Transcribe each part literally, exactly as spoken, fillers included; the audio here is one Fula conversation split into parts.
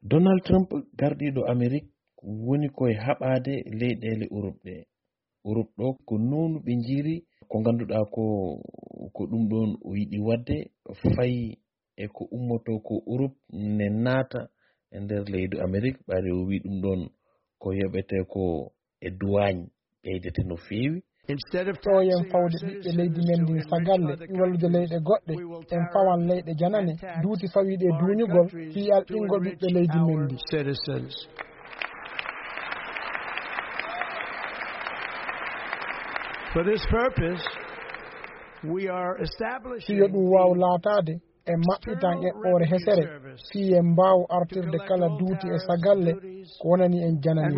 Donald Trump, gardiiɗo Amerik, woni koye haɓaade leyɗeele Urop ɗe. Urop ɗo ko nownu ɓe njiyri ko ngannduɗaa ko, ko ɗum ɗoon o yiɗi waɗde, fayi e ko ummotoo ko Urop ne naata e nder leydi Amerik, ɓayde o wii ɗum ɗoon ko yoɓetee ko e duwaañ ɓeydete no feewi. Instead of ɗo yen fawde ɓiɓɓe leydi men ndin sagalle, wallude leyɗe goɗɗe, en fawan leyɗe janane, duuti fawii ɗe duuñugol, fii alɗingol ɓiɓɓe leydi men ndi. Citizens. For this purpose, we are establishing Fii yo ɗum waaw laataade, en maɓɓitan eɓɓoore hesere, fii en mbaaw artirde kala duuti e sagalle ko wonani en janani.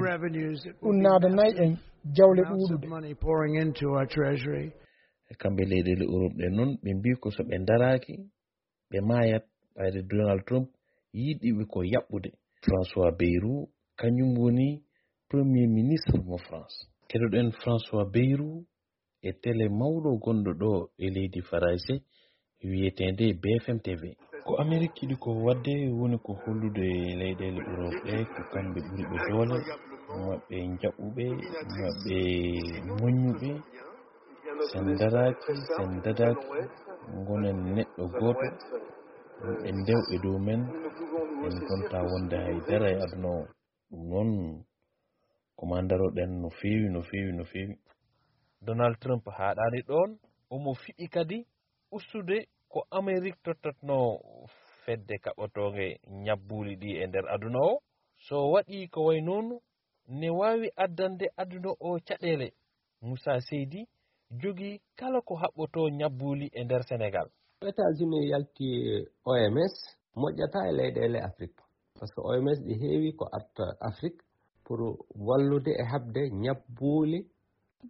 Ɗum naadanay en jawle ɗuuɗuɗe. Money pouring into our treasury. E kamɓe leyɗeele Europe ɗen noon, ɓe mbii ko so ɓe ndaraaki, ɓe maayat, ɓayde Donald Trump yiɗi ɓe ko yaɓɓude. François Bayrou, kañum woni Premier Ministre mo France. Keɗoɗen François Bayrou e tele mawɗo gonɗo ɗo e leydi Farayse wiyeteende B F M T V. Ko Amerik yiɗi ko waɗde woni ko hollude leyɗeele Europe ɗe ko kamɓe ɓuri ɓe doole, maɓɓe njaɓɓuɓe, maɓɓe moññuɓe. Sen daraaki, sen dadaaki, ngonen neɗɗo gooto, ɓe ndew e dow men, en gonta wonde hay dara e aduna o. Ɗum noon, ko maa ndaroɗen no feewi, no feewi, no feewi. Donald Trump haaɗaani ɗoon, omo fiɓi kadi ustude ko Amerik tottatnoo fedde kaɓotoonge ñabbuuli ɗi e nder aduna o. So waɗii ko way noon, ne waawi addande aduna o caɗeele. Moussa Seydi jogii kala ko haɓɓotoo ñabbuuli e nder Senegal. États-Unis yalti O M S, moƴƴataa e leyɗeele Afrik. Par ce que O M S ɗi heewi ko arta Afrik pour wallude e haɓde ñabbuuli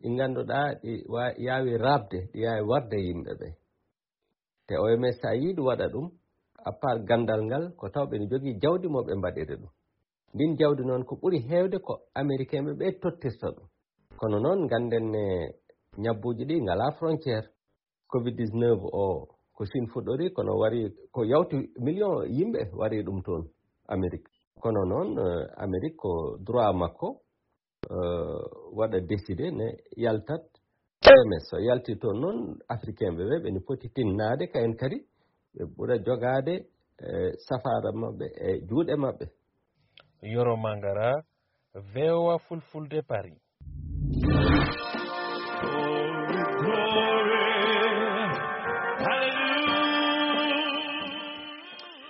ɗi ngannduɗaa ɗi wa-, yaawi raɓde, ɗi yaawi warde yimɓe ɓe. Te O M S, so a yii ɗum waɗa ɗum, à part ganndal ngal, ko taw ɓe ne njogii jawdi mo ɓe mbaɗiri ɗum. Ndin jawdi noon, ko ɓuri heewde ko Amerikeenɓe ɓe tottirta ɗum. Kono noon, ngannden ne ñabbuuji ɗi ngalaa frontière. Covid dix-neuf o, ko Chine fuɗɗori, kono wari ko yawti million yimɓe wari ɗum toon Amerik. Kono noon, eh, Amerik ko droit makko, eh, waɗa décidé ne yaltat O M S. So yalti toon noon, Africain ɓe ɓe, ɓe ne poti tinnaade, kayen kadi ɓe ɓura jogaade, eh, safaara maɓɓe e juuɗe maɓɓe. Yoro Mangara, V O A Fulfulde, Paris.